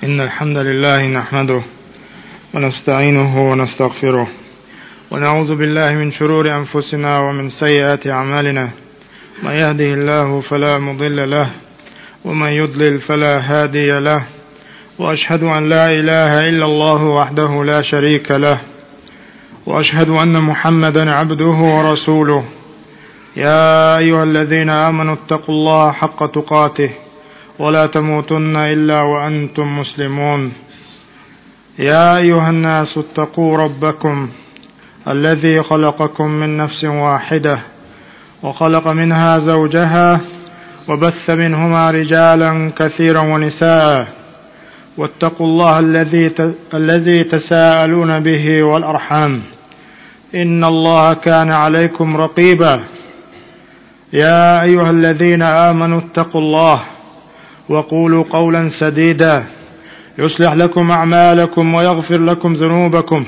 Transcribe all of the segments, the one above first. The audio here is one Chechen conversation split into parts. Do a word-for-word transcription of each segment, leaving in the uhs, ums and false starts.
إن الحمد لله نحمده ونستعينه ونستغفره، ونعوذ بالله من شرور أنفسنا ومن سيئات أعمالنا. من يهده الله فلا مضل له، ومن يضلل فلا هادي له. وأشهد أن لا إله إلا الله وحده لا شريك له، وأشهد أن محمدا عبده ورسوله. يا أيها الذين آمنوا اتقوا الله حق تقاته ولا تموتن إلا وأنتم مسلمون. يا أيها الناس اتقوا ربكم الذي خلقكم من نفس واحدة وخلق منها زوجها وبث منهما رجالا كثيرا ونساء، واتقوا الله الذي ت-، الذي تساءلون به والأرحام، إن الله كان عليكم رقيبا. يا أيها الذين آمنوا اتقوا الله وقولوا قولا سديدا يصلح لكم أعمالكم ويغفر لكم ذنوبكم،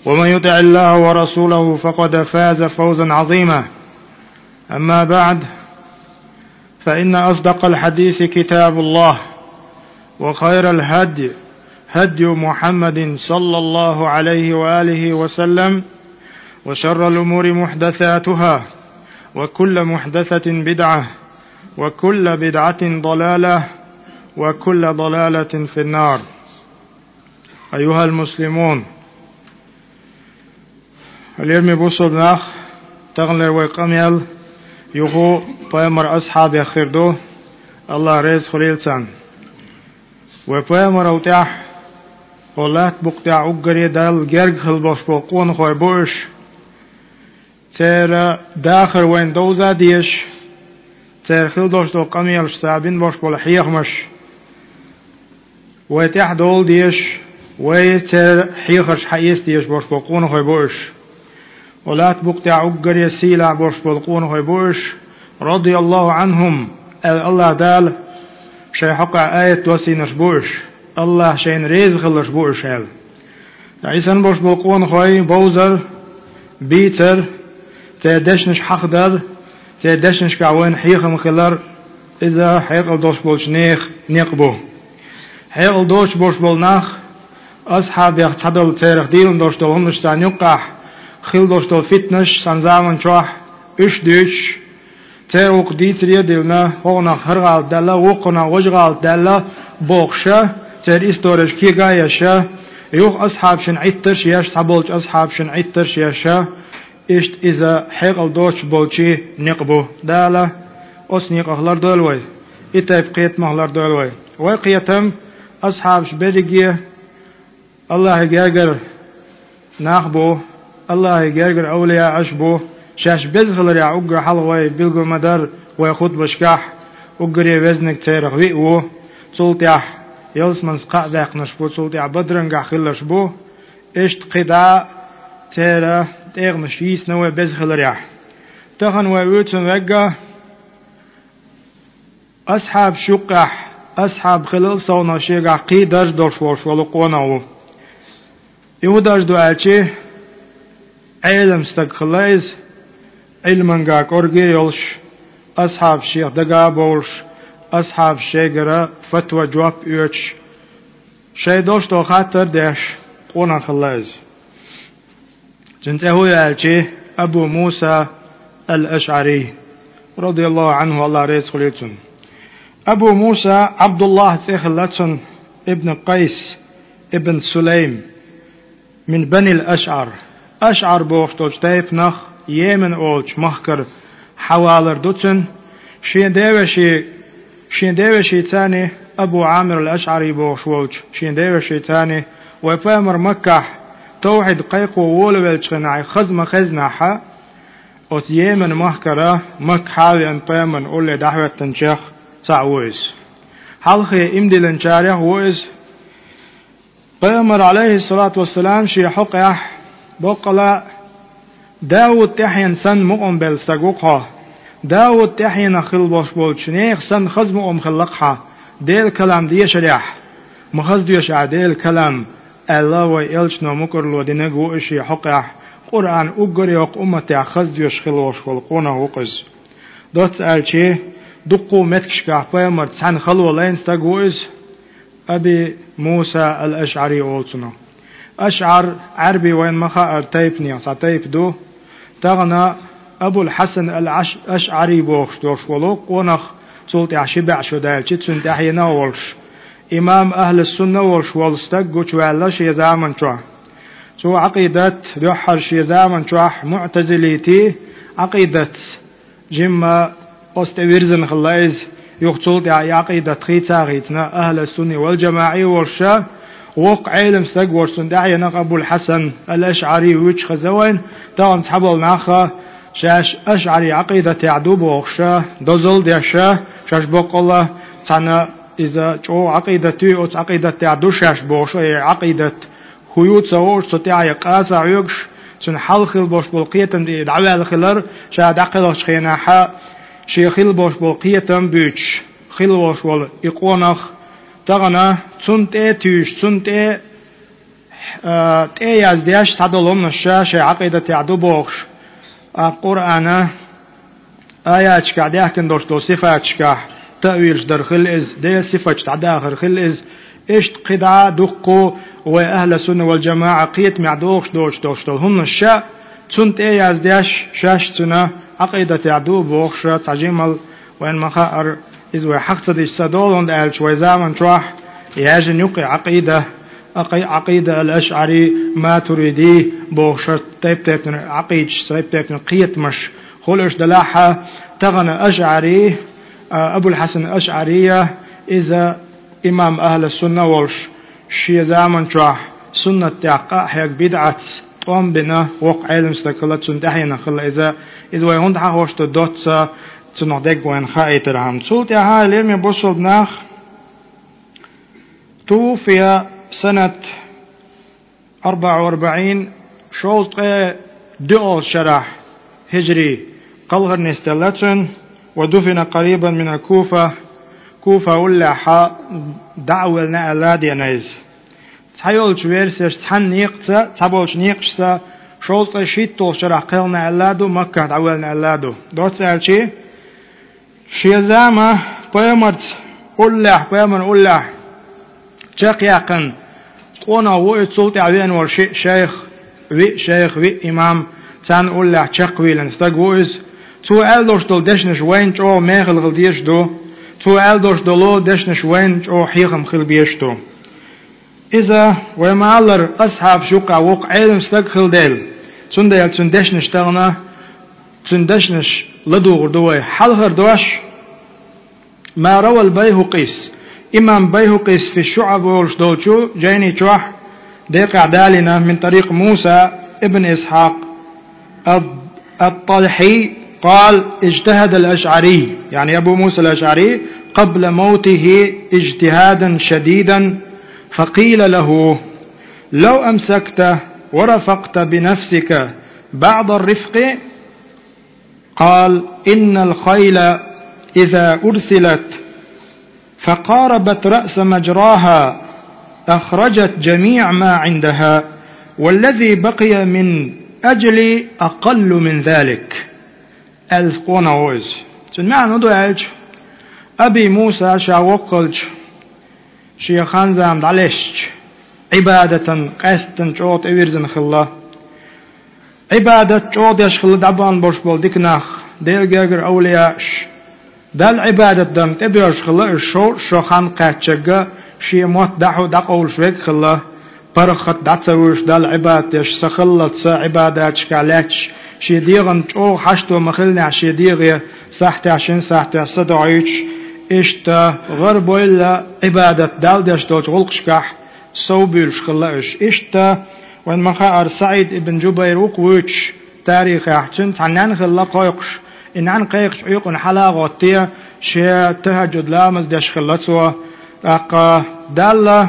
ومن يطع الله ورسوله فقد فاز فوزا عظيما. أما بعد، فإن أصدق الحديث كتاب الله، وخير الهدي هدي محمد صلى الله عليه وآله وسلم، وشر الأمور محدثاتها، وكل محدثة بدعة، وكل بدعة ضلالة، وكل ضلالة في النار. أيها المسلمون, лераме бусалба нах, таханлера вай къамел юха пайхамара асхьабех хир ду, АллахӀ реза хуьлийла царна. Вай пайхамарал тӀехь, хӀо латта букъа тӀехь уггаре Далла герга хила болуш болу къонахой бу уьш. Церан дахар вайна довза а дезаш, церан хила долуш долу къамелаш, цара бина болуш болу хьехамаш вай тӀехь довла дезаш, вай церан хьехарш хьаэца дезаш болуш болу къонахой бу уьш. Хьо латта букъа тӀехь уггаре сийлахь болуш болу къонахой бу уьш, радияллаху Ӏанхум, аьлла, АллахӀ Дала шайн хьокъехь аят доссийнарш бу уьш, АллахӀ шайна реза хилларш бу уьш аьлла. Ткъа и санна болуш болу къонахой бовзар, бийцар, церан дешнаш хьахадар, церан дешнашкахь вайна хьехам хилар, иза хьекъал долуш болчу нехан некъ бу. Хьекъал доцуш болуш болу нах, асхьабех цхьадолу, церах дийлина долуш долу хӀуманаш, царна юккъехь хила долуш долу фитнаш цхьана заман чохь, уьш дуьйцуш, церан вукху дийцаре а диллина, хӀокхунах хӀара гӀалат даьлла, вукхунах важа гӀалат даьлла бохуша, церан истореш кега а еша, юха асхьабашна Ӏиттарш а еш, цхьаболчу асхьабашна Ӏиттарш а еша, иштта иза хьекъал доцуш болчийн некъ бу. Дала оцу некъах лардойла вай, и тайпа кхетамах лардойла вай. Вай кхетам асхьабаш берриге АллахӀе гергара нах бу, АллахӀе гергара авлияаш бу, шаьш беза хиларехь уггар хьалха вай билгал ма-дарра вай хутбашкахь, уггаре везниг церах виъ ву, цул тӀаьхьа ялсаманца кхаъ баьккхинарш бу, цул тӀаьхьа Бадрангахь хилларш бу, иштта кхидӀа а церан тӀегӀанаш йийцина вай беза хиларехь. Тахана вай вуьйцун вегга, асхьабаш юккъехь, асхьаб хилла а совнаха шегахь кхин дарж долуш волуш волу къонах ву. И хӀун дарж ду аьлчи, Ӏелам стаг хилла иза, Ӏилманга кӀорге а йолуш, асхьабаш шех дага а бовлуш, асхьабаш шайгара фатва, жоп а оьцуш, шайн долуш долу хаттар а деш, къонах хилла иза. Цуьнан цӀе хӀун ю аьлчи, Абу Муса ал-АшӀари, радияллаху Ӏанху, АллахӀ реза хуьлийла цунна. Абу Муса Ӏабдуллах цӀе хилла цунна, ибн Къайс, ибн Сулайм, мин банил АшӀар. АшӀар бохуш долчу тайпанах Йемен олучу махкара хьавалар ду цуьнан, шен девеши, шен девеши царни, Абу Ӏамир ал-АшӀари бохуш волчу шен девеши царни, вай пайхамар Маккахь тавхьид кхайкхо волавеллачу хенахь, хаза ма-хеззинехь, оцу Йемен махкара Макка хьавеана пайхамарна улле дӀахӀоьттинчех цхьаъ ву иза. Хьалххе иман диллинчарех ву иза. Пайхамар, Ӏалайхиссалату вассалам, шен хьокъехь, боккъала а, Дауд тӀаьхьенах санна мукъам белла стаг ву-кх хьо. Дауд тӀаьхьенах хилла болуш болчу нехан санна хаза мукъам хилла-кх хьан Делан калам дешарехь. Ма хаза доьшу ахь Делан калам, аьлла, вай элчано мукӀарло динарг ву иза шен хьокъехь, Къуръан уггаре йоккху умматехь хаза доьшуш хилла волуш волу къонах ву-кх иза. Доцца аьлчи, дуккха а меттигашкахь пайхамарца цхьаьна хало лайна стаг ву иза. Аби Муса ал-АшӀари олу цунах. АшӀар, Ӏаьрби вайн ма хаара, тайпанех цхьа тайпа ду. Тахана Абул-Хьасан ал-Аш-, АшӀари бохуш долуш волу къонах, цул тӀаьхьа ши бӀе шо даьлча, цуьнан тӀаьхьенах а волуш, имам ахьлу-сунна а волуш волу стаг гучуваьлла шен заман чохь. Цо Ӏакъидат дуьххьара шен заман чохь муӀтазилитийн Ӏакъидатца жимма оцу тӀе вирзина хилла иза, юха цул тӀаьхьа и Ӏакъидат хийца а хийцина, ахьлу-сунна вал-жамаӀи а волуш, воккха Ӏелам стаг волуш, цуьнан тӀаьхьенах Абул-Хьасан ал-АшӀари вуьйцуш хезна вайна, тахана цхьаболу нах а шаьш ашӀари Ӏакъидатехь ду бохуш, дозалла деш, шаьш баккъалла цхьана иза чӀогӀа Ӏакъидат ю, оцу Ӏакъидатехь ду шаьш бохуш, и Ӏакъидат хӀун ю ца хууш, цу тӀехь я къаса хьоьгуш, цуьнан хьалха хилла болуш болу кхетам тӀе дӀаваьлла хилар, ша дӀакхелхачу хенахь шен хилла болуш болу кхетам буьйцуш хилла волуш волу и къонах, тахана цунна тӀе а туьйсуш, цунна тӀе, а, тӀе а яздеш, цхьадолу хӀуманаш ша шайн Ӏакъидатехь ду бохуш, а, Къуръана аяташкахь даьхкина долуш долу сифаташкахь таъвилаш дар хилла иза, Делан сифаташ дӀадахар хилла иза, иштта кхидӀа а дуккха а вай ахьлу-сунна вал-жамаӀа кхетамехь дохуш доцуш долуш долу хӀуманаш ша цунна тӀе а яздеш, шаьш цуьнан Ӏакъидатехь ду а бохуш, цхьа жимма вайн ма хаара, иза вай хьаха ца дича ца долу, хӀунда аьлча вай заман чохь яьжжина юккъе Ӏакъида, Ӏакъи-, Ӏакъида ал-АшӀари, Матуриди бохуш тайп-тайпанан Ӏакъидаш, тайп-тайпанан кхетамаш хуьлуш делахь а, тахана АшӀари, а, Абул-Хьасан АшӀари а, иза имам ахьлу-сунна а волуш, шен заман чохь суннат тӀехь къа а хьегна, бидӀатца тӀом бина воккха Ӏелам стаг хилла, цуьнан тӀаьхьенах хилла иза. Иза вай хӀунда хьахош ду, доцца цунах дерг вайна хаийтархьама. Цул тӀаьхьа, лераме бусалба нах, توفي سنة أربع وأربعين, шовзткъе доьалгӀачу шарахь хӀижри, кхалхар нисделла цуьнан, ودفن قريبا من الكوفة, Куфа уллехь дӀа а велла аьлла а деана иза. Цхьайолчу версеш цхьана некъаца, цхьаболчу некъашца шовзткъе шийтталгӀачу шарахь кхелхина аьлла а ду, Маккахь дӀавоьллина аьлла а ду. Доцца аьлчи, шен зама пайхамарца уллехь, пайхамаран уллехь чекхъяьккхина къонах ву иза, цул тӀаьхьа веана волу шиъ шайх, виъ шайх, виъ имам, царна уллехь чекхвийлина стаг ву иза. Цо аьлла долуш долу дешнаш вайна чӀогӀа мехала хила дезаш ду. Цо аьлла долуш долу дешнаш вайна чӀогӀа хьехам хила безаш ду. Иза, вай ма-аллара, асхьабаш юккъехь воккха Ӏелам стаг хилла дела, цундела цуьнан дешнаш тахана, цуьнан дешнаш ладугӀур ду вай. Хьалхара дош, ما روى البيهقي, имам Байхакъис في الشعب волуш долчу жайни чохь декъехь далийна, من طريق موسى بن إسحاق الطلحي قال: اجتهد الأشعري, يعني أبو موسى الأشعري, قبل موته اجتهادا شديدا، فقيل له: لو أمسكت ورفقت بنفسك بعض الرفق، قال: إن الخيل إذا أرسلت فقاربت رأس مجراها أخرجت جميع ما عندها، والذي بقي من أجلي أقل من ذلك. Аьлла къонах ву иза. Цуьнан маьӀна хӀун ду аьлча, Аби Муса ша воккха хилча, шен хан-зама дӀалаьцча, Ӏибадатан къаьсттина чӀогӀа тӀевирзина хилла. Ӏибадат чӀогӀа деш хилла дӀабахана болуш болу дика нах, Делан гергара авлияаш. Далла Ӏибадат дарна тӀебоьжуш хилла иза шовзткъа шо хан кхаьччарг, шен мотт дӀахьу дӀакъовлуш верг хилла, паргӀат дӀа ца вуьйш, Далла Ӏибадат деш, сахиллалц Ӏибадаташкахь лаьтташ, шен дегӀан чӀогӀа хьашто ма-хиллинехь, шен дегӀе сахьтехь, шина сахьтехь садоӀуьйтуш, иштта гӀарабевлла Ӏибадат Далла деш долчу гӀуллакхашкахь совбуьйлуш хилла уьш. Иштта, вайн ма-хаара, СаӀид ибн Жубайр ву-кх вуьйцуш тарихехь, цуьнан цхьа нана хилла кхойкхуш, и нана кхайкхачу Ӏуьйкъана хьала а гӀоттий, шен тахӀажжуд ламаз деш хилла цо. ТӀаккха Далла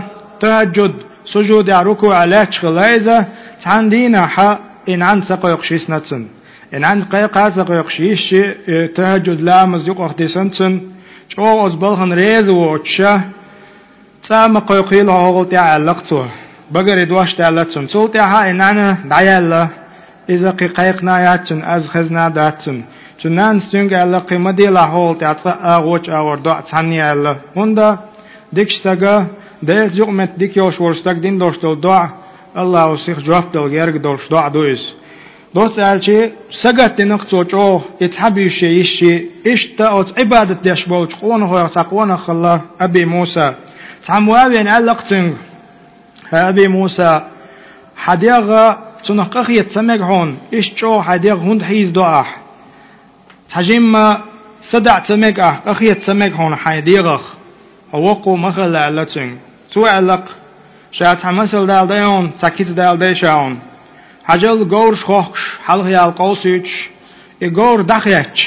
тахӀажжуд сужудехь, рукуӀехь лаьтташ хилла иза, цхьана дийнахь и нана ца кхойкхуш йисна цунна. И нана кхайкха а ца кхойкхуш йисчи, и тахӀажжуд ламаз юкъах дисна цунна, чӀогӀа оцу балхана реза воцуш, цкъа а ма кхойкхийла хьо хӀокхул тӀаьхьа, аьлла-кх цо. Багара и дош даьлла цунна. Цул тӀаьхьа и нана дӀаяьлла, иза кхин кхайкхина а яц цунна, аз хезна а дац цунна. Цуьнан нанас цуьнга аьлла: «Кхин ма делахь хӀокхул тӀаьхьа цкъа а агӀор, чӀагӀор доӀа цхьанне», аьлла. ХӀунда дикачу стага Делаца юкъаметтиг дика йолуш волчу стага дина долуш долу доӀа, Аллахьо сиха жоп дала герга долуш доӀа ду иза. Доцца аьлча, сагатдина-кх цо чӀогӀа, и цхьа буьйсанна йисча, иштта оцу Ӏибадат деш болчу къонахойх цхьа къонах хилла Аби Муса. Цхьамма ван веана аьлла-кх цуьнга: «ХӀай Аби Муса, хьан дегӀ, цунах къахета ца мега хьуна, иштта чӀогӀа хьайн дегӀ хӀунда хьийзадо ахь? Цхьа жимма садаӀа ца мега ахь, къахета ца мега хьуна хьайн дегӀах? Хьо воккха ма хилла», — аьлла цуьнга. Цо аьлла-кх: «Ша цхьа масал дала дай хьуна, цхьа кица дала дай ша хьуна. Хьажал, говраш хохкуш, хьалха яла къовсуьйтуш, и говр дӀахецча,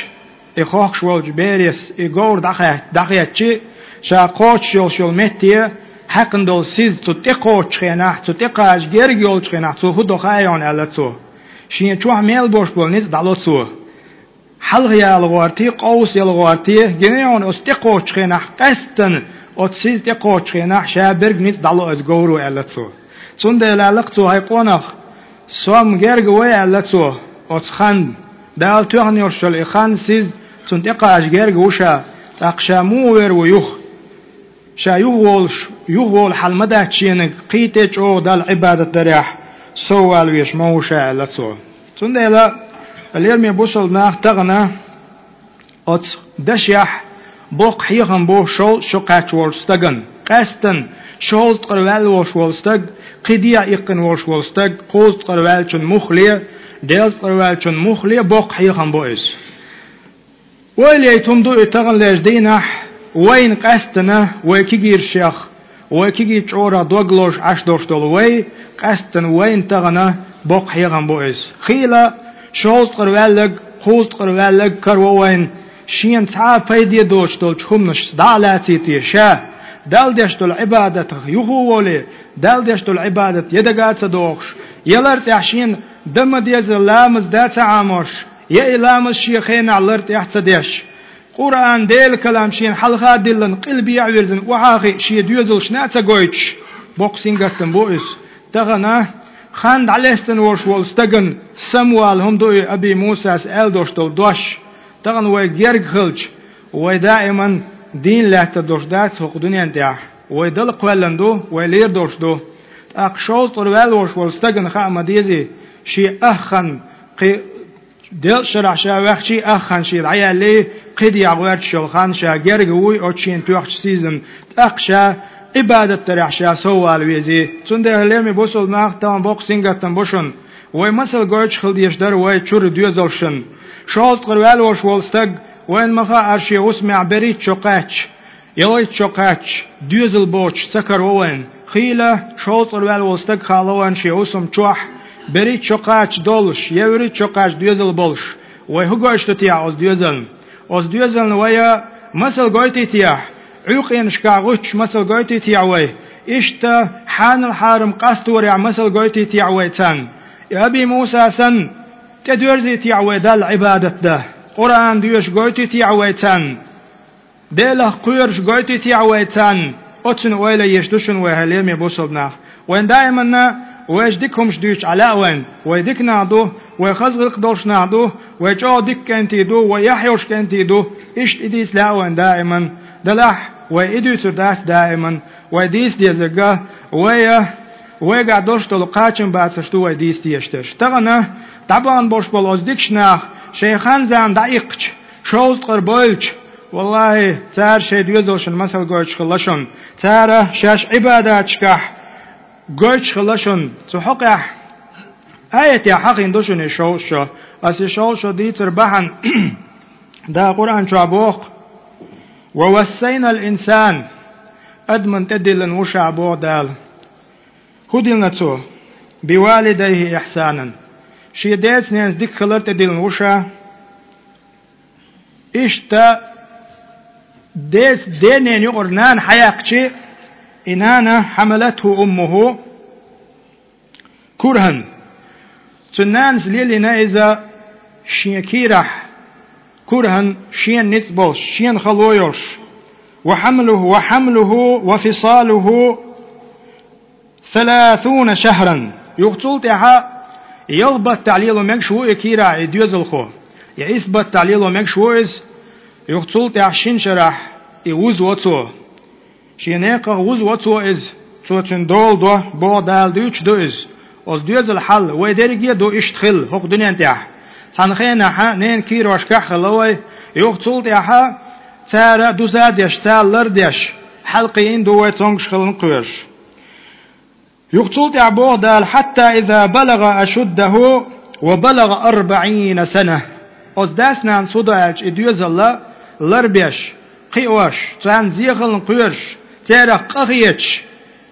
и хохкуш волчу берас и говр дӀахаьт-, дӀахецча, ша кхочуш йолуш йолу метте хьаькхна долу сиз цу тӀекхочучу хенахь, цу тӀекхача герга йолчу хенахь цо хӀун до хаьий хьуна», — аьлла цо. Шен чохь мел бош болу ницкъ дӀало цо. Хьалха яла гӀортий, къовса яла гӀортий, гиний хьуна оцу тӀекхочучу хенахь, къаьсттина оцу сиз тӀекхочучу хенахь, ша берг ницкъ дӀало оцу говро, аьлла цо. Цундела аьлла-кх цо: «ХӀай къонах, со-м герга вай», — аьлла цо, — «оцу хан, Дала тоьхна йолуш йолу и хан, сиз цунна тӀекхача герга ву ша, тӀаккха ша муха вер ву юха? Ша юхаволуш, юхаволу хьал ма дац шена, кхин тӀе чӀогӀа Далла Ӏибадат дарехь соввала везаш ма ву ша», — аьлла цо. Цундела, лераме бусалба нах, тахана оцу дашехь боккха хьехам бу шовзткъа шо кхаьчна волчу стагана. Къаьсттина шовзткъара ваьлла волуш волу стаг, кхин дехьа иккхина волуш волу стаг, кхузткъара ваьллачун муххале, дезткъара ваьллачун муххале боккха хьехам бу иза. Ойла яйта хӀума ду и таханлерчу дийнахь, вайна къаьсттина, вай кегийрхошех, вай кегийчу чкъурах дог лозуш Ӏаш долуш долу вай, къаьсттина вайна тахана боккха хьехам бу иза. Хийла, шовзткъара ваьлларг, кхузткъара ваьлларг караво вайна, шена цхьа а пайде доцуш долчу хӀуманашца дӀа а лацийта ша, Далла деш долу Ӏибадатах юха а волий, Далла деш долу Ӏибадат я дага а ца дохуш, я лар тӀехь шена дан ма деззара ламаз да ца Ӏамош, я и ламаз шен хенахь лар тӀехь ца деш, Къуръан, Делан калам шена хьалха а диллина, къилбехьа а вирзина, охьа а хиъна, шен доьзалшна а ца гойтуш, боккха сингаттам бу иза. Тахана хан дӀалестина волуш волу стагана самавала хӀума ду и Аби Мусас аьлла долуш долу дош. Тахана вай герга хилча, вай даиман дийна лаьттар долуш дац хӀокху дуьнен тӀехь. Вай дала кхоьллина ду, вай лийр долуш ду. ТӀаккха шовзткъара ваьлла волуш волу стагана хаа ма дезий, шен ах хан кхин делкъа шарахь ша ваьхчий, ах хан шен дӀаяьллий, кхин дехьа гӀоьртуш йолу хан ша герга вуй оцу шена тоьхначу сизана, тӀаккха ша Ӏибадат дарехь ша соввала везий. Цундела, лераме бусалба нах, тахана боккха сингаттам бу шуна. Вай масал гойтуш хила дезаш дара вай чуьра доьзалшна. Шовзткъара ваьлла волуш волу стаг, вайна ма хаъара, шен хӀусамехь берхӀитта шо кхаьчча, ялхитта шо кхаьчча, доьзал боцуш ца караво вайна. Хийла, шовзткъара ваьлла волу стаг хаало вайна шен хӀусам чохь, берхӀитта шо кхача долуш, я вуьрхӀитта шо кхача доьзал болуш. Вай хӀун гойтуш ду техьа оцу доьзална? Оцу доьзална вай масал гойтий техьа? Ӏуьйкъенашкахь гӀуьттуш масал гойтий техьа вай? Иштта хьанал-хьарам къасторехь масал гойтий техьа вай царна? И Аби Муса санна, тӀедоьрзий техьа вай Далла Ӏибадат дан? Къуръан доьшуш гойтий техьа вай царна? Делах кхоьруш гойтий техьа вай царна? Оццуьнан ойла еш ду шуна вай, хӀай лераме бусалба нах. Вайн даиманна вайша дика хӀумаш дуьйцуш Ӏа лаьа вайн. Вай дика нах ду, вай хаза гӀиллакх долуш нах ду, вай чӀогӀа дика кӀентий ду, вай яхь йолуш кӀентий ду. Иштта и дийца лаьа вайн даиман. Делахь, вай и дуьйцур дац даиман. Вай дийца дезарг, вай, вайгахь долуш долу кхачам бацарш ду вай дийца дезаш дерш. Тахана дӀабахана болуш болу оцу дикачу наха шайн хан-зама дӀаиккхича, шовзткъара бойлча, валлахӀи, цара шайн доьзалшна масал гойтуш хилла шуна. Цара шаьш Ӏибадаташкахь гойтуш хилла шуна. Цу хьокъехь аятехь хьахийна ду шуна и шовзткъа шо. Аса и шовзткъа шо дийцар бахьана, Дала Къуръан чохь боху: «Ва вассайнал инсан», адаман тӀедиллина ву ша, боху Дала. ХӀун диллина цо? «Бивалидайхи ихсанан». Шен деца-ненаца дика хилар тӀедиллина ву ша. Иштта деца, ден-ненан юкъара нана хьаяьккхича, и нана, «хьамалатху уммуху курхан». Цуьнан нанас лелийна иза шен кийрахь, курхан, шена ницкъ болуш, шена хало йолуш. «Ва хьамлуху, ва хьамлуху, ва фисалуху саласуна шахран». Юха цул тӀаьхьа ялх баттахь лело мегаш ву и кийрахь и доьзалхо. Я исс баттахь лело мегаш ву иза, юха цул тӀаьхьа шина шарахь и вузаво цо. Шен некъах вузаво цо иза, цо цуьнан дола до, боху Дала дуьйцуш ду иза. Оцу доьзалан хьал вай дерриге а ду иштта хилла хӀокху дуьнен тӀехь. Цхьана хенахь ненан кийрошкахь а хилла вай, юха цул тӀаьхьа цара дуза а деш, цара лар а деш, хьалакхиийна ду вай цомгуш хиларна кхоьруш. Юха цул тӀаьхьа боху Дала: «Хьатта иза балагӀа ашуддаху ва балагӀа арбаӀина сана». Оцу дас-нанас хӀун до аьлча, и доьзал лар беш, кхиош, царна зе хиларна кхоьруш, царах къа хеташ,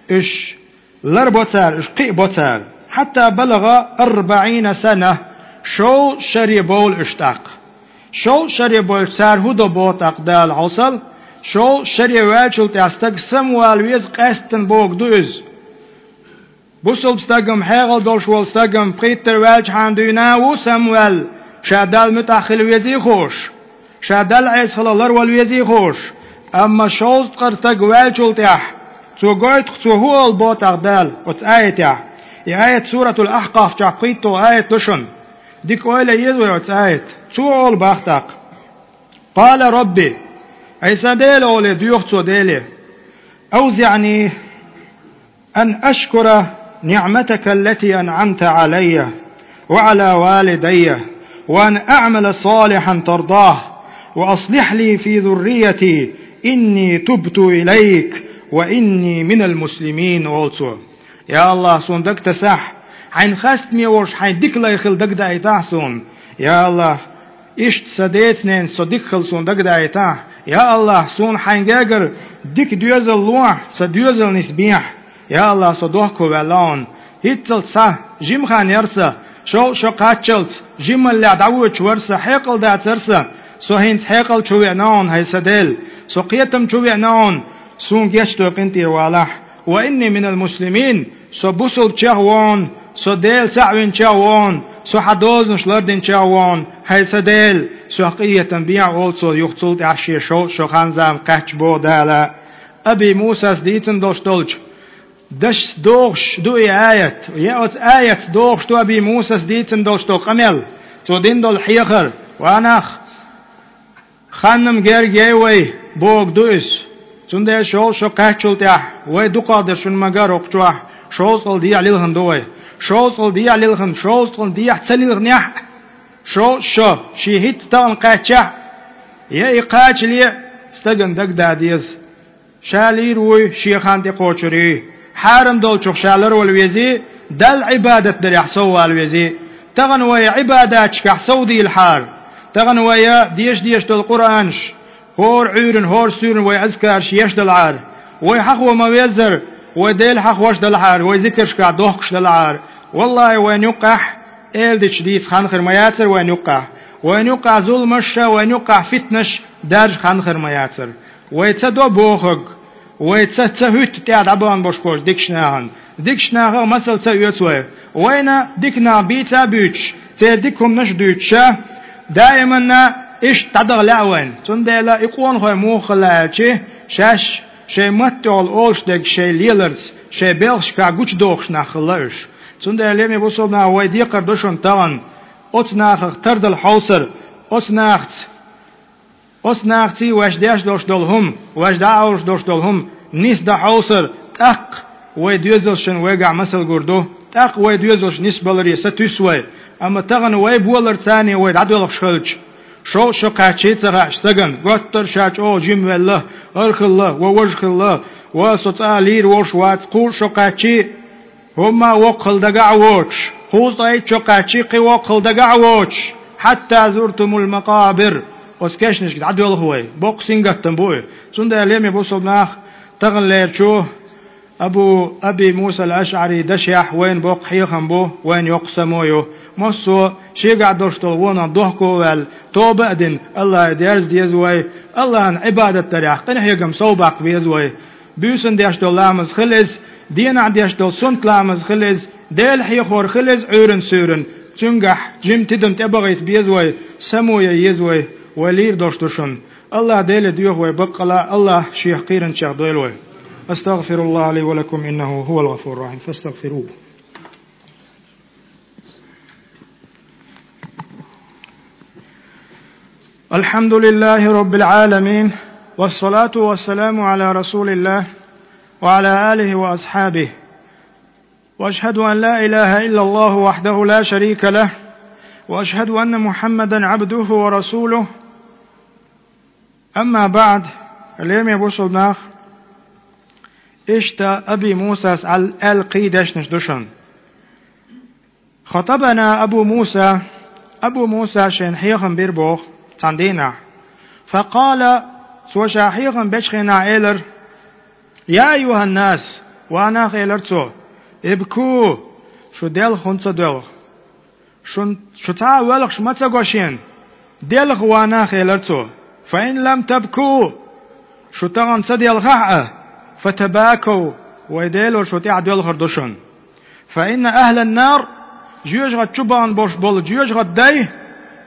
уьш лар бо цара, уьш кхиа бо цара. «Хьатта балагӀа арбаӀина сана», шовзткъа шаре бовлу уьш тӀаккха. Шовзткъа шаре бовлуш цара хӀун до боху тӀаккха Дала хьовсал? Шовзткъа шаре ваьллачул тӀаьхьа стаг самавала веза, къаьсттина бохург ду иза. Бусалба стаг-м, хьекъал долуш волу стаг-м пхийттара ваьллачхьана дуьйна а ву самаваьлла, ша Далла муьтӀахь хила везий хууш, ша Далла Ӏеса хила ларвала везий хууш. Амма шовзткъара стаг ваьллачул тӀаьхьа, цо гойту-кх, цо хӀун олу боху тӀаккха Дала оцу аятехь. И аят Суратул Ахькъаф чохь пхийтталгӀа аят ду шуна. Дика ойла е еза вай оцу аятан. Цо олу боху тӀаккха: «Къала Рабби», ай сан Дела, олий, доьху цо Деле: «АвзиӀни ан ашкура ниӀматака аллати анӀамта Ӏалайя ва Ӏала валидайя, ва ан аӀмала салихьан тардаху, ва аслихь ли фи зуррияти, инни тубту илайк, ва инни минал муслимин», олу цо. Я АллахӀ, суна дагатасахь, хьайна хастаме волуш хьайн дика лай хила дагадаийтахь суна. Я АллахӀ, иштта сан деца-ненаца со дика хила суна дагадаийтахь. Я АллахӀ, суна хьайн гергара дика доьзал лохь, сан доьзал нисбехь. Я АллахӀ, со дохко ваьлла хьуна. ХӀинццалц схьа жима хан яра сан, шовзткъа шо кхаччалц жималлехь дӀавоьдуш вара сан, хьекъал дацара сан. Со хӀинца хьекъал чу веана хьуна, хӀай сан Дела. Со кхетам чу веана хьуна, суна гечдой, къинтӀера валахь. «Ва инни минал муслимин», со бусалбачех ву хьуна, со Дела цхьаъ винчех ву хьуна, со хьан дозанаш лардинчех ву хьуна, хӀай сан Дела, сох къинхетам бехьа, олу цо юха цул тӀаьхьа шен шовзткъа шо хан-зама кхаьчча боху Дала. Аби Мусас дийцина долуш долчу дашца догӀуш ду и аят, я оцу аятца догӀуш ду Аби Мусас дийцина долуш долу къамел, цо дина долу хьехар, ва нах. Ханна-м герга яй вай, бохург ду иза. Цундела шовзткъа шо кхаьччул тӀаьхьа, вай дукхах дерш шуна ма-гарра хӀокху чохь, шовзткъала дехьа лилхина ду вай. Шовзткъала дехьа лилхина, шовзткъала дехьа ца лилхинехь а, шовзткъа шо, шен хӀинцца тахана кхаьччехь а, я и кхачале а стагана дагада деза. Ша лийр вуй, шен хан тӀекхочур юй. Хьарам долчух ша ларвала везий, Далла Ӏибадат дарехь соввала везий. Тахана вай Ӏибадаташкахь совдийлахьара. Тахана вай деша-дезаш долу Къуръанаш, хӀора Ӏуьйранна, хӀора суьйранна вай азкараш еш далахьара. Вай хьахо ма-веззара, вай Дела хьахош далахьара, вай зикаршкахь дохкуш далахьара. Валлахьи, вайна юккъехь эладиташ дийца хан хир ма яцара вайна юккъехь. Вайна юккъехь зуламаш а, вайна юккъехь фитнаш даржа хан хир ма яцара. Вай ца до бохург, вай ца, ца хӀуьтту тӀехь дӀабахана башхоша дикачу нахана. Дикачу нахах масал ца оьцу вай. Вайна дика нах бийца а буьйцуш, церан дика хӀуманаш а дуьйцуш а, даиманна иштта дӀадаха лаьа вайна. Цундела и къонахой муха хилла аьлча, шаьш шайн маттахь олуш дерг шайн леларца, шайн белхашкахь гучудохуш нах хилла уьш. Цундела, лераме бусалба нах, вай декхар ду шуна тахана оцу нахах тардала хьовсар, оцу нахаца Оцу нахаций ваьш деш долуш долу хӀума, ваьш дӀаалуш долуш долу хӀума нисдан хьовсар, тӀаккха вай доьзалшна вайгахь масал гур ду, тӀаккха вай доьзалш нисбаларе сатуьйсу вай. Амма тахана вай боларца вай дӀадоьлхуш хилча, шовзткъа шо кхаьччий ца хаьаш стагана, готтара ша чӀогӀа жима велла, ара хилла, ва важа хилла, ва со цкъа а лийр волуш вац, кхузткъа шо кхаьччий, ХӀумма воккха хила дагахь а воцуш, кхузткъе итт шо кхаьччий кхин воккха хила дагахь а воцуш, хьатта зуртумул макъабир, оцу кешнашка дӀадоьлху вай, боккха сингаттам бу и. Цундела, лераме бусалба нах, таханлерчу Абу, Аби Муса ал-АшӀари дашехь вайна боккха хьехам бу, вайна йоккха само ю. Массо а шегахь долуш долу вонах дохко а ваьлла, тоба а дина, АллахӀе дерза деза вай, АллахӀан Ӏибадат дарехь къинхьегам совбаккха веза вай. Буьйсанна деш долу ламаз хила иза, денахь деш долу суннат ламаз хила иза, Дела хьехор хила иза Ӏуьйранна-суьйранна. Цуьнгахь жима тидам тӀебахийта беза вай, само ян еза вай, вай лийр долуш ду шуна. АллахӀ Деле доьху вай баккъала, АллахӀ Шех кхийринчех дойла вай. أستغفر الله لي ولكم إنه هو الغفور الرحيم فاستغفروه. الحمد لله رب العالمين. والصلاة والسلام على رسول الله وعلى آله وأصحابه، وأشهد أن لا إله إلا الله وحده لا شريك له، وأشهد أن محمدا عبده ورسوله. أما بعد، лераме бусалба нах, иштта Аби Мусас ал-, аьлла кхин дешнаш ду шуна. خطبنا أبو موسى، Абу Муса шайна хьехам бира боху цхьана дийнахь. فقال، цо ша хьехам бечу хенахь элира: يا أيها الناس، ва нах, элира цо, ابكوا، шу делха хӀунда ца доьлху? Шун, шу цхьа а воьлхуш ма ца го шена? Делха, ва нах, элира цо. فإن لم تبكوا، шу тахана ца делхахь а, فتباكوا، вай Дело шу тӀехь доьлхур ду шуна. فإن أهل النار، жоьжахати чу бахана болуш болу жоьжахати дай,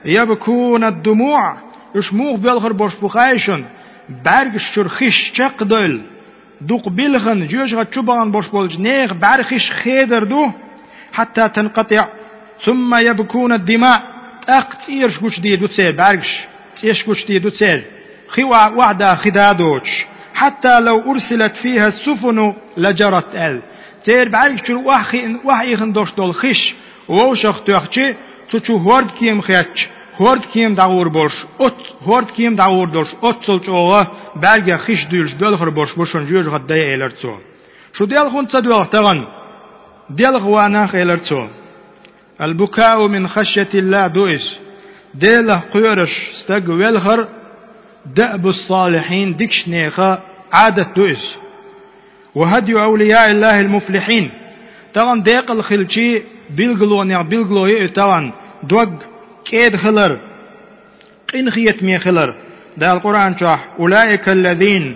يبكون الدموع، уьш муха боьлхур болуш бу хаий шуна? БӀаьргаш чуьра хиш чекхдевлла, дукха билхина, жоьжахати чу бахана болуш болчу нехан бӀаьрхиш хедар ду, حتى تنقطع، ثم يبكون الدماء، тӀаккха цӀераш гучудийр ду церан бӀаьргаш, цӀеш гучудийр ду церан, хи охьа-, охьада хи да а доцуш, حتى لو أرسلت فيها السفن لجرت аьлла. Церан бӀаьргаш чуьра охьахиъна, охьаихна долуш долу хиш вовшах тоьхча, цу чу хӀордкема хетча, хӀордкема дӀагӀур болуш, оц-, хӀордкема дӀагӀур долуш, оццул чӀогӀа бӀаьргех хиш дуьйлуш боьлхур болуш бу шуна жоьжахати дай, элира цо. Шу делха хӀунда ца доьлху тахана? Делха, ва нах, элира цо. البكاء من خشية الله ду иза. Делах кхоьруш стаг велхар دأب الصالحين، дикачу нехан Ӏадат ду иза. وهدي أولياء الله المفلحين. Тахана декъала хиллачийн билгалонех билгало ю и тахана: дог кӀеда хилар, къинхетаме хилар. Дала Къуръан чохь: أولئك الذين،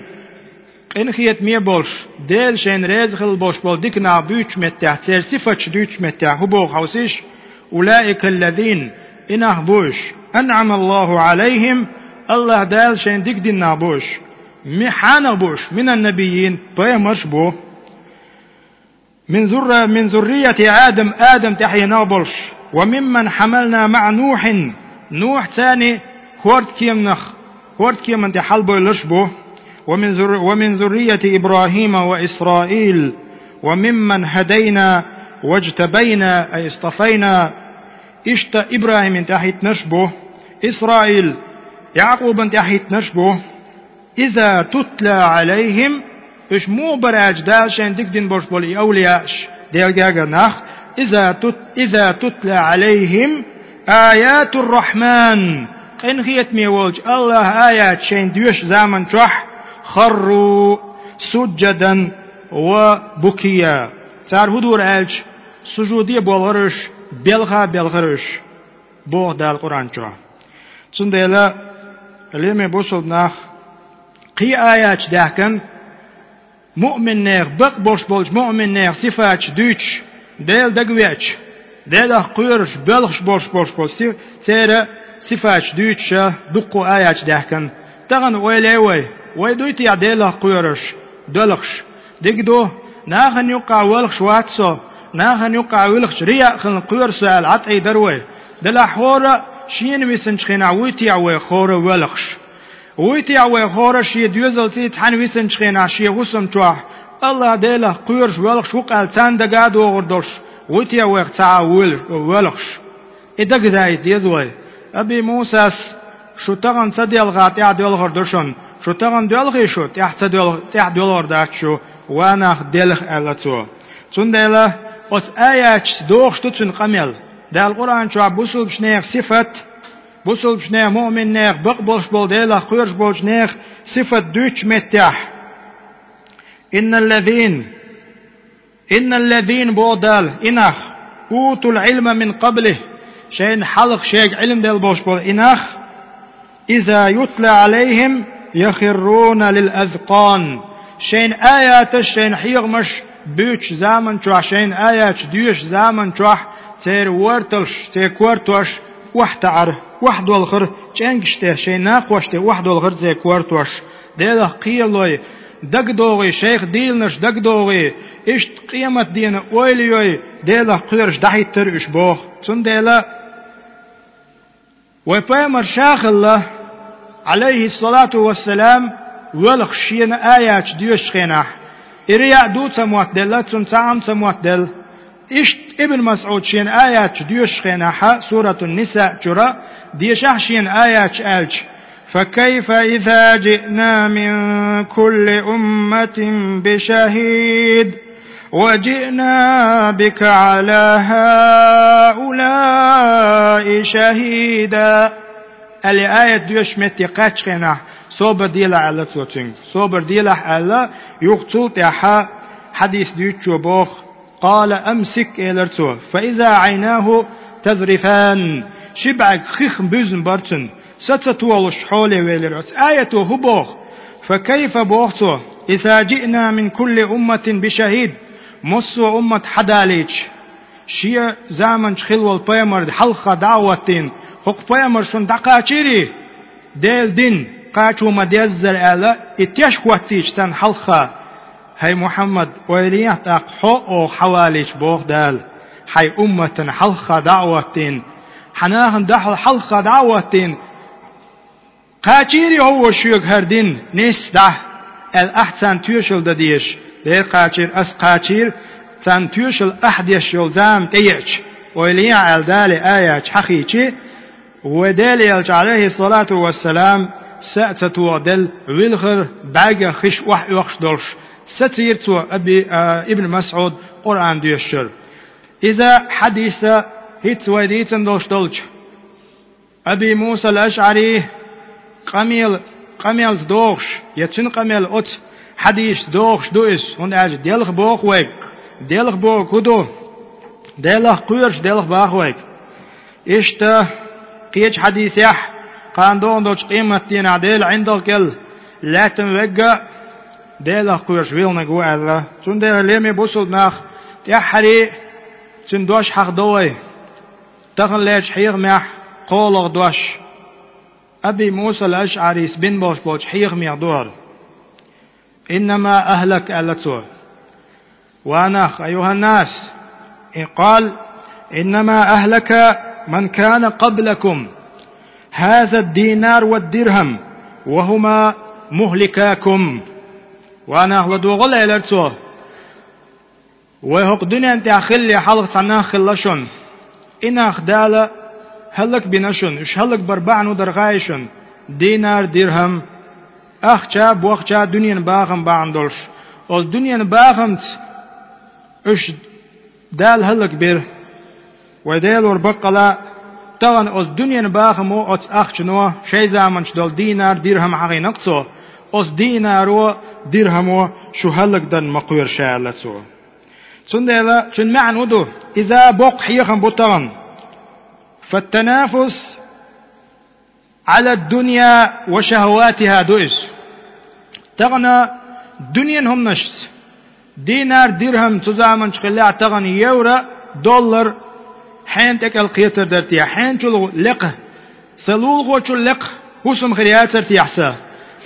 къинхетаме болуш, Дела шайна реза хилла болуш болу дика нах буьйцучу меттехь, церан сифаташ дуьйцучу меттехь хӀун боху хьовсийша? أولئك الذين، и нах бу уьш, أنعم الله عليهم، АллахӀ Дала шайна дика дина нах бу уьш. Ми-, хьанах бу уьш? من النبيين، пайхамарш бу. من ذر-، من ذرية آدم، Адам тӀаьхьенах болуш. وممن حملنا مع نوح، Нухь царний хӀордкеманах, хӀордкеман тӀе хьалабевлларш бу. ومن ذر-، ومن ذرية إبراهيم وإسرائيل، وممن هدينا واجتبينا، أي اصطفينا. Иштта ИбрахӀиман тӀаьхьахӀиттинарш бу, Исраил, Якъубан тӀаьхьахӀиттинарш бу. إذا تتلى عليهم، уьш муха бара аьлча, Дала шайна дика дина болуш болу и авлияаш, Делан гергара нах, إذا تت-، إذا تتلى عليهم آيات الرحمن، къинхетаме волчу АллахӀан аяташ шайна доьшучу заман чохь, خروا سجدا وبكيا. Цара хӀун дора аьлча, сужуде болхура уьш, белха белхура уьш, боху Дала Къуръан чохь. Цундела, лераме бусалба нах, кхин аяташ даьхкина, муъминнех, бакъ болуш болчу муъминнех сифаташ дуьйцуш, Дела дагавеача, Делах кхоьруш, боьлхуш болуш болуш болу си-, церан сифаташ дуьйцуша дуккха аяташ даьхкина. Тахана ойла е вай, вай дуй те Делах кхоьруш, доьлхуш? Дика ду, нахана юккъахь воьлхуш вац со, нахана юккъахь вилхича, рияъ хилла кхоьру со аьлла, Ӏад Ӏийдар вай. Делахь хӀора шена висинчу хенахь вуй те вай хӀора воьлхуш? Вуй те вай хӀора шен доьзалций цхьаьна висинчу хенахь шен хӀусам чохь, АллахӀ Делах кхоьруш воьлхуш ву-кх аьлла царна дага а догӀур долуш, вуй те вайх цхьа а вуьйла-, воьлхуш? И дагадайта деза вай. Аби Мусас: «Шу тахана ца делха, тӀаьхьа доьлхур ду шуна. Шу тахана доьлхий шу, тӀаьхьа ца доьлх-, тӀаьхьа доьлхур дац шу, ва нах, делха», — аьлла цо. Цундела оцу аяташца догӀуш ду цуьнан къамел. Дала Къуръан чохь бусалбачу нехан сифат, бусалбачу нехан, муъмин нехан, бакъ болуш болу, Делах кхоьруш болчу нехан сифат дуьйцучу меттехь: «Инналлазина, инналлазина», — боху Дала, — «и нах, утул Ӏилма мин къаблихи», шайна хьалха шайга Ӏилма делла болуш болу и нах, «иза ютла Ӏалайхим яхирруна лил азкъан», шайна аяташ, шайна хьехамаш буьйцучу заман чохь, шайна аяташ доьшучу заман чохь церан ворталш, церан кортош охьатаӀара, охьадолхура, чӀенгаш тӀе, шайн накхош тӀе охьадолхура церан кортош. Делах кхералой, дагадогӀий, шайх дийланаш дагадогӀий, иштта къематденан ойла йой, Делах кхоьруш дӀахӀиттара уьш боху. Цундела вай пайхамар ша хилла, Ӏалайхиссалату вассалам, велха шена аяташ доьшучу хенахь, и рияъ ду ца моттаделла, цунна цхьа а хӀума ца моттаделла. Иштта Ибн МасӀуда шена аяташ доьшучу хенахь, Суратун-Ниса чуьра, дешахь шена аяташ аьлча: «فكيف إذا جئنا من كل أمة بشهيد وجئنا بك على هؤلاء شهيدا». Аьлла, аят доьшучу метте кхаьччу хенахь, собар делахь, аьлла цо цуьнга. Собар делахь, аьлла, юха цул тӀаьхьа хьадис дуьйцучо боху: «قال أمسك», элира цо. «فإذا عيناه تذرفان». Ши бӀаьрг хих буьзна бара цуьнан. Са ца тохалуш хьоле велира. Оцу аято хӀун боху? «فكيف», боху цо, «إذا جئنا من كل أمة بشهيد». Массо а уммат хьадалийча, шен заманчу хилла волу пайхамар хьалха дӀа а хӀоттийна, хӀокху пайхамар шуна дӀакхачийрий? Делан дин кхачо ма-деззара аьлла, и теш хӀоттийча царна хьалха: «ХӀай Мухьаммад, ойла е тӀаккха хьо а оха хьавалийча, боху Дала, хьайн умматана хьалха дӀа а хӀоттийна, хьан нахана дуьхьал хьалха дӀа а хӀоттийна, кхачийрий хьо шуьга хӀара дин, нисса дӀа?» аьлла, ахь царна тоьшалла дан дезаш. Дера кхачийра, ас кхачийра, царна тоьшалла ахь деш йолу зама тӀееача, ойла е аьлла, Дала аяташ хьахийчи, вайн Делан элча, Ӏалайхиссалату вассалам, са а ца тохаделла, вилхира, бӀаьргех хиш охьаоьхуш долуш, сацийра цо, Аби-, а, Ибн МасӀуд Къуръан доьшучуьра. Иза хьадис а хӀинца вай дийцина долуш долчу Аби Муса ал-АшӀари къамел-, къамелца догӀуш, я цуьнан къамел оцу хьадисца догӀуш ду иза, хӀунда аьлча делха боху вайга, делха бохург хӀун ду? Делах кхоьруш делха боху вайга. Иштта, кхечу хьадисехь, кхана догӀун долчу къематдийнахь Делан ӀиндагӀ кӀел лаьттан вегга Делах кхоьруш вилниг ву аьлла. Цундела, лераме бусулба нах, тӀаьххьара цуьнан дош хьахадо вай. Тахана лерчу хьехамехь кхоалгӀа дош Аби Муса ал-АшӀарис бина болуш болчу хьехамех ду хӀара. «إنما أهلك», аьлла цо. Ва нах, أيها الناس, и къал: «إنما أهلك من كان قبلكم هذا الدينار والدرهم وهما مهلكاكم». Ва нах, ладогӀал, элира цо. Вай хӀокху дуьнен тӀехь хилале хьалха цхьа нах хилла шуна. И нах Дала хӀаллакбина шуна, уьш хӀаллакбар бахьана хӀун дара хаий шуна? Динар, дирхам, ахча, бохча, дуьненан бахам бахьана долуш. Оцу дуьненан бахамца уьш Дала хӀаллакбира. Вай Делора баккъала, тахана оцу дуьненан бахамо, оцу ахчано, шайн заманчу долу динар, дирхам хьахийна-кх цо, оцу динаро, дирхамо шу хӀаллакдарна ма кхоьру ша, аьлла цо. Цундела цуьнан маьӀна хӀун ду? Иза боккха хьехам бу тахана. «فالتنافس على الدنيا وشهواتها» ду иза. Тахана дуьненан хӀуманашца, динар, дирхам цу заманчу хиллехь, тахана евро, доллар хьенан тӀекӀел кхетар дара те, хьенчул лекха, сан лулахочул лекха хӀусам хир яцара те сан,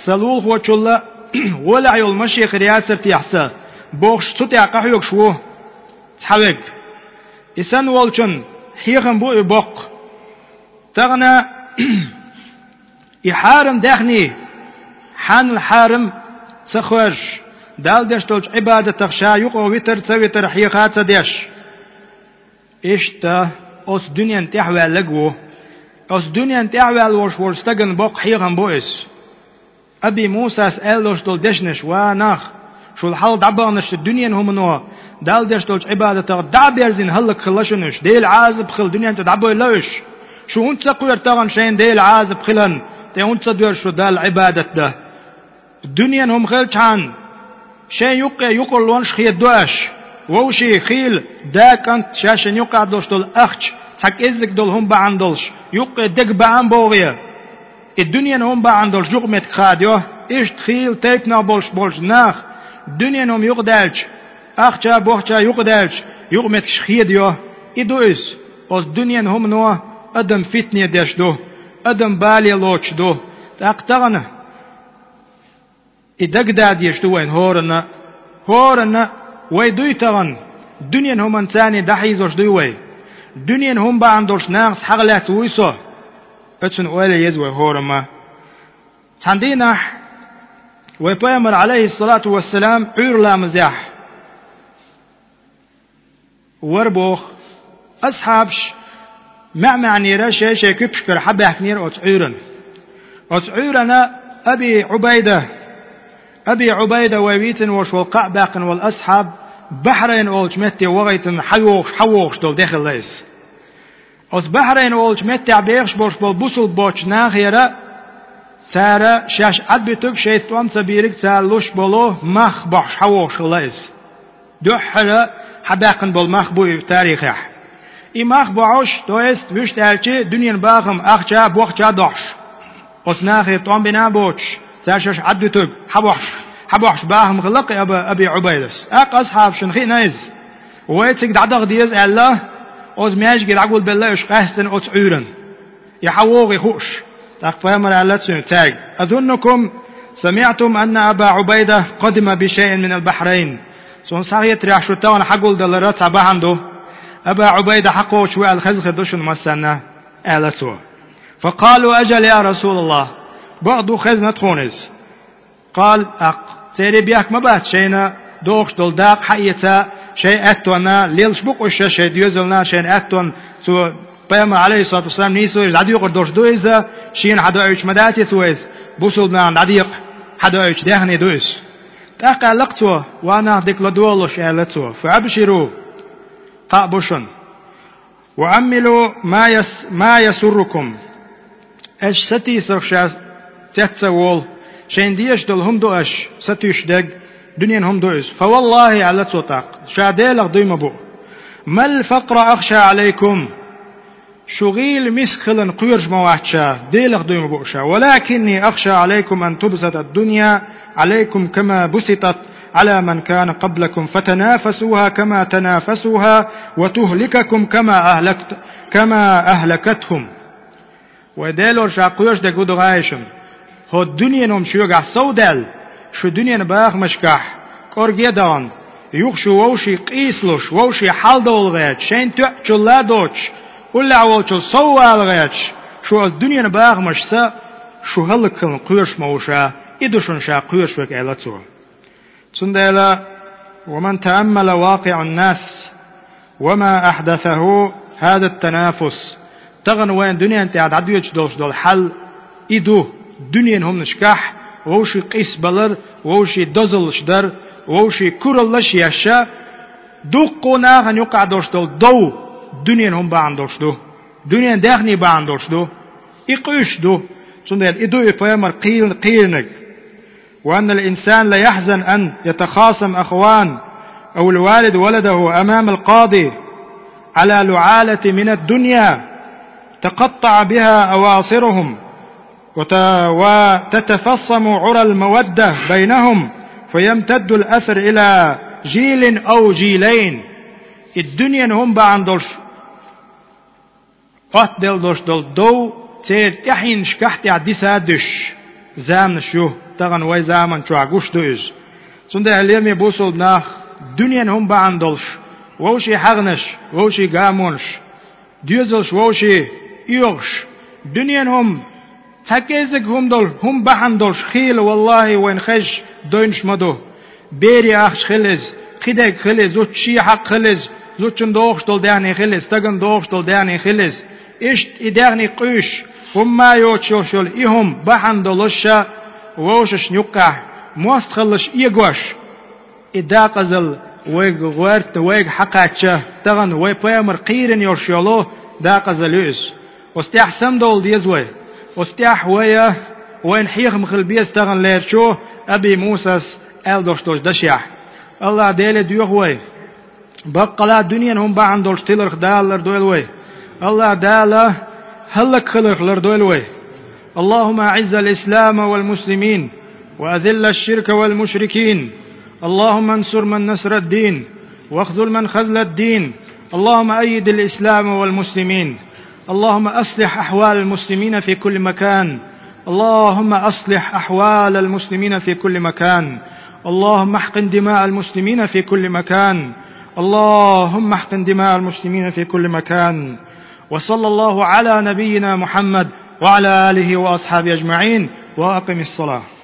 сан лулахочул гӀолехь йолу машен хир яцара те сан, бохуш, цу тӀехь къахьоьгуш ву цхьаверг. И санна волчун хьехам бу и боккха. Тахана и хьарам даьхни, хьанал хьарам ца хевшаш, Далла деш долчу Ӏибадатах ша юкъа витар ца витар хьеха ца деш. Иштта оцу дуьнен тӀаьхьаваьлларг ву. Оцу дуьнен тӀаьхьаваьлла волуш волчу стагана боккха хьехам бу иза. Аби Мусас аьлла долуш долу дешнаш: «Ва нах, шул хьалха дӀабаханарш дуьненан хӀумано, Далла деш долчу Ӏибадатах дӀа а берзина хӀаллакьхилла шуна уьш, Делан Ӏазап хилла дуьнен чу дӀабойла уьш. Шу хӀунда ца кхоьру тахана шайна Делан Ӏазап хиларна, тӀе хӀунда ца доьрзу шу Далла Ӏибадат дан? Дуьненан хӀума хилчхьана, шайн юккъе юкъарлонаш хедадо аш. Вовшийн хийла да, кӀант, шаьшшинна юккъехь долуш долу ахча, цхьа кӀеззиг долу хӀума бахьана долуш, юккъе дегабаам богӀе. И дуьненан хӀума бахьана долуш юкъаметтиг хадайо, иштта хийла тайпанах болуш болчу наха дуьненан хӀума юкъадаьлча, ахча-бохча юкъадаьлча, юкъаметтигаш хедайо. И ду иза, оцу дуьненан хӀумано адам фитне деш ду, адам бале лоцуш ду». ТӀаккха тахана и дагададеш ду вайна хӀоранна, хӀоранна вай дуй тахана, дуьненан хӀуманца дӀахьийзош дуй вай? Дуьненан хӀума бахьана долуш нахаца хьагӀ лаьцна вуй со? Оцунна ойла е еза вай хӀорамма. Цхьана дийнахь Вай пайхамар, Ӏалайхиссалату вассалам, Ӏуьйра ламазехь вара боху. Асхьабаш маьӀ-маьӀӀера шай-шай куьпашкара хьабаьхкинера оцу Ӏуьйранна. Оцу Ӏуьйранна Аби Ӏубайда, Аби Ӏубайда вай вийцина волуш волу кхаъ баьккхина волу асхьаб Бахьрайн олучу метте вахийтина хьайогӀуш, хьавогӀуш долу де хилла иза. Оцу Бахьрайн олучу меттехь бехаш болуш болу бусулба боцчу нахера, цара шаьш Ӏадбуьтург, шайца тӀом ца бийриг цара луш болу мах бохьуш хьавогӀуш хилла иза. Дуьххьара хьабаьккхина болу мах бу и тарихехь. И мах бохьуш, то есть, вуьшта аьлча, дуьненан бахам ахча, бохча дохьуш. Оцу нахе тӀом бина а боцуш, цара шаьш Ӏаддуьтург хьабохьуш, хьабохьуш бахам хилла кхин Аба, Аби Ӏубайдас. ТӀаккха асхьабашна хиъна иза. Вай цига дӀадаха деза аьлла, оцу маьждиге дӀагулбелла уьш къаьстина оцу Ӏуьйранна. И хьан вогӀий хууш. ТӀаккха пайхамар аьлла цуьнга, цаьрга: «أظنكم سمعتم أن أبا عبيدة قدم بشيء من البحرين». Суна схьахетарехь, шу тахана хьагулдалара цхьа бахьана ду. Аба Ӏубайда хьакхочуш ву аьлла хезна хир ду шуна массарна, аьлла цо. «فقالوا أجل يا رسول الله». Бакъ ду, хезна тхуна иза. «قال», тӀаккха церан бехк ма бац шайна дохуш долу дакъа хьаэца, шайн аьттонна лелаш бу-кх уьш шайн доьзална, шайн аьттонна. Цо, пайхамар, Ӏалайхиссалату вассалам, нийсо иза дӀадоькъур долуш ду иза, шена хьадоуьйтуш ма дац иза вайца, бусулба нахана дӀадекъа хьадоуьйтуш даьхни ду иза. ТӀаккха аьлла-кх цо: «Ва нах, дика ладогӀалаш», аьлла цо. «فأبشروا», кхаъ бу шуна. «وأملوا ما يس-، ما يسركم». Аша сатийсарх ша цец а волу, шайна дезаш долу хӀума ду аша сатуьйсуш дерг, дуьненан хӀума ду иза. «فوالله», аьлла цо тӀаккха, ша Делах дуй ма бу. «ما الفقر أخشى عليكم». Шу гӀийла, миска хиларна кхоьруш ма вац ша, Делах дуй ма бу ша. «ولكني أخشى عليكم أن تبسط الدنيا عليكم كما بسطت على من كان قبلكم فتنافسوها كما تنافسوها وتهلككم كما أهلكت-، كما أهلكتهم». Вай Делора ша кхоьруш дерг хӀун ду хаий шуна? ХӀокху дуьненан хӀума шоьгахь совдаьлла, шу дуьненан бахамашкахь кӀорге а дахана, юха шу вовшийн къийсалуш, вовшийн хьалдовла гӀерташ, шайна тоьъначул а доцуш, уллехь волчул сов вала гӀерташ, шу оцу дуьненан бахамашца шу хӀаллакьхиларна кхоьруш ма ву ша, и ду шуна ша кхоьруш верг, аьлла цо. Цундела: «ومن تأمل واقع الناس وما أحدثه هذا التنافس». Тахана вайн дуьнен тӀехь дӀадоьдуш долуш долу хьал и ду, дуьненан хӀуманашкахь вовшийн къийсабалар, вовшийн дозаллаш дар, вовшийн кураллаш еш, дуккха а нахана юккъехь долуш долу дов дуьненан хӀума бахьана долуш ду, дуьненан даьхни бахьана долуш ду, и къуьйсуш ду. Цундела и ду и пайхамар кхийринарг. «وأن الإنسان ليحزن أن يتخاصم أخوان أو الوالد ولده أمام القاضي على لعالة من الدنيا تقطع بها أواصرهم وت-، وتتفصم عرى المودة بينهم فيمتد الأثر إلى جيل أو جيلين». И дуьненан хӀума бахьана долуш Ӏоттаделла долуш долу дов церан тӀаьхьенашкахь тӀехь диса а дуьсуш заманаш ю, тахана вай заман чохь гуш ду иза. Цундела, лераме бусулба нах, дуьненан хӀума бахьана долуш, вовшийн хьагӀнаш, вовшийн гамонаш, доьзалш вовшийн оьгӀуш, дуьненан хӀума, цхьа кӀеззиг хӀума долу, хӀума бахьана долуш хийла, валлахӀи, вайна хезаш дойнаш ма ду. Берийн ахча хила иза, кхидерг хила иза, зудчун шен хьакъ хила иза, зудчун догӀуш долу даьхни хила иза, стагана догӀуш долу даьхни хила иза. Иштта и даьхни къуьйсуш, хӀумма а йоцуш йолуш йолу и хӀума бахьана долуш ша вовшашна юккъехь мостагӀаллаш эгош. И декъазалла вайга гӀоьрта, вайга хьакхаьчча, тахана вай пайхамар кхийрина йолуш йолу декъазалла ю иза. Оцу тӀехь самадовла деза вай. Оцу тӀехь вай, вайна хьехам хила беза тахана лерачу Аби Мусас аьлла долуш долчу дашехь. АллахӀ Деле доьху вай. Баккъала дуьненан хӀума бахьана долуш тиларх Дала лардойла вай. АллахӀ Дала хӀаллакьхиларх лардойла вай. اللهم أعز الإسلام والمسلمين وأذل الشرك والمشركين. اللهم انصر من نصر الدين واخذل من خذل الدين. اللهم أيد الإسلام والمسلمين. اللهم أصلح أحوال المسلمين في كل مكان. اللهم أصلح أحوال المسلمين في كل مكان. اللهم احقن دماء المسلمين في كل مكان. اللهم احقن دماء المسلمين في كل مكان. وصلى الله على نبينا محمد وعلى آله وأصحابه أجمعين. وأقم الصلاة.